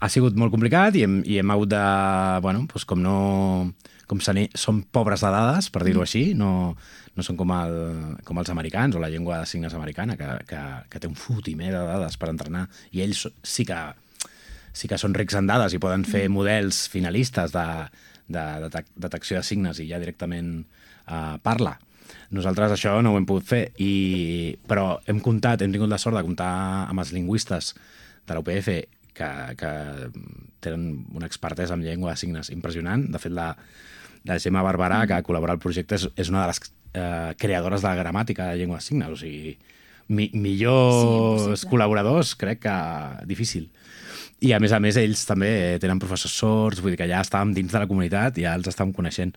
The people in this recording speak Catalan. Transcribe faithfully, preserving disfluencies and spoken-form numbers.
ha sigut molt complicat i hem, i hem hagut de, bueno, doncs com no... com som pobres de dades, per dir-ho així, no, no són com, el, com els americans o la llengua de signes americana, que, que, que té un fotimer de dades per entrenar, i ells sí que, sí que són rics en dades i poden fer models finalistes de, de, de detecció de signes i ja directament uh, parla. Nosaltres això no ho hem pogut fer, i, però hem comptat, hem tingut la sort de comptar amb els lingüistes de la U P F que, que tenen una expertesa en llengua de signes impressionant. De fet, la, la Gemma Barberà, que ha col·laborat al projecte, és, és una de les eh, creadores de la gramàtica de llengua de signes. O sigui, mi, millors sí, col·laboradors, crec que difícil. I, a més a més, ells també tenen professors sords, vull dir que ja estàvem dins de la comunitat i ja els estàvem coneixent.